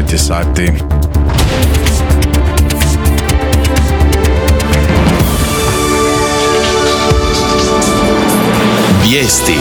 9 sati. Vijesti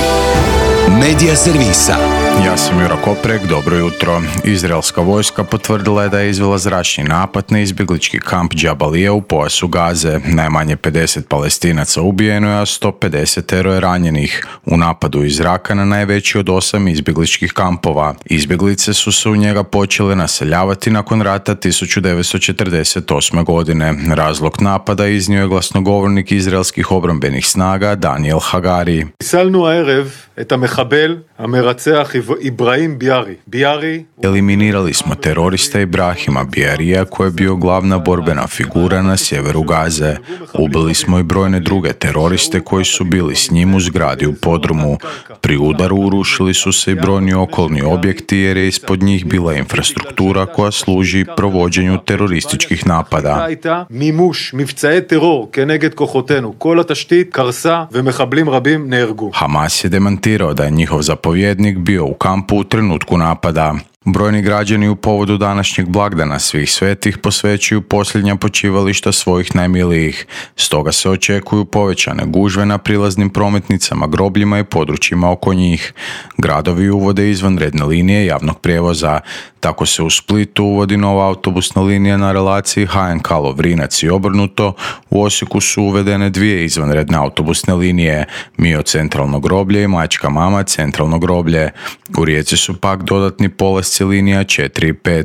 Medija servisa. Ja sam Jura Koprek, dobro jutro. Izraelska vojska potvrdila je da je izvela zračni napad na izbjeglički kamp Džabalija u pojasu Gaze. Najmanje 50 Palestinaca ubijeno je, a 150 je ranjenih u napadu iz zraka na najveći od 8 izbjegličkih kampova. Izbjeglice su se u njega počele naseljavati nakon rata 1948. godine. Razlog napada iznio je glasnogovornik izraelskih obrambenih snaga Daniel Hagari. Eliminirali smo terorista Ibrahima Bijarija koji je bio glavna borbena figura na sjeveru Gaze. Ubili smo i brojne druge teroriste koji su bili s njim u zgradi u podrumu. Pri udaru urušili su se i brojni okolni objekti jer je ispod njih bila infrastruktura koja služi provođenju terorističkih napada. Hamas je demantirao da je njihov zapovjednik bio u kampu u trenutku napada. Brojni građani u povodu današnjeg blagdana svih svetih posvećuju posljednja počivališta svojih najmilijih. Stoga se očekuju povećane gužve na prilaznim prometnicama, grobljima i područjima oko njih. Gradovi uvode izvanredne linije javnog prijevoza. Tako se u Splitu uvodi nova autobusna linija na relaciji HNK Lovrinac i obrnuto. U Osijeku su uvedene 2 izvanredne autobusne linije, Mio centralno groblje i Majčka mama centralno groblje. U Rijeci su pak dodatni polasci linija 4 i 5.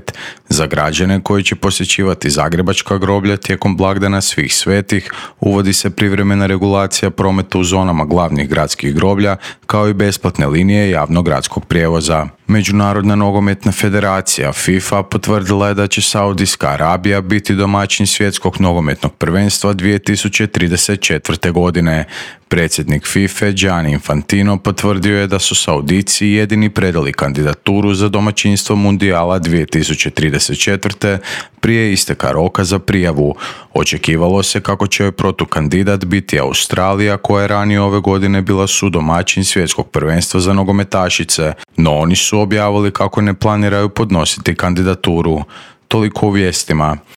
Za građane koji će posjećivati zagrebačka groblja tijekom blagdana svih svetih uvodi se privremena regulacija prometa u zonama glavnih gradskih groblja kao i besplatne linije javnog gradskog prijevoza. Međunarodna nogometna federacija FIFA potvrdila je da će Saudijska Arabija biti domaćin svjetskog nogometnog prvenstva 2034. godine. Predsjednik FIFA Gianni Infantino potvrdio je da su Saudici jedini predali kandidaturu za domaćinstvo Mundijala 2034. prije isteka roka za prijavu. Očekivalo se kako će joj protukandidat biti Australija, koja je ranije ove godine bila sudomaćin svjetskog prvenstva za nogometašice, no oni su objavili kako ne planiraju podnositi kandidaturu. Toliko u vijestima.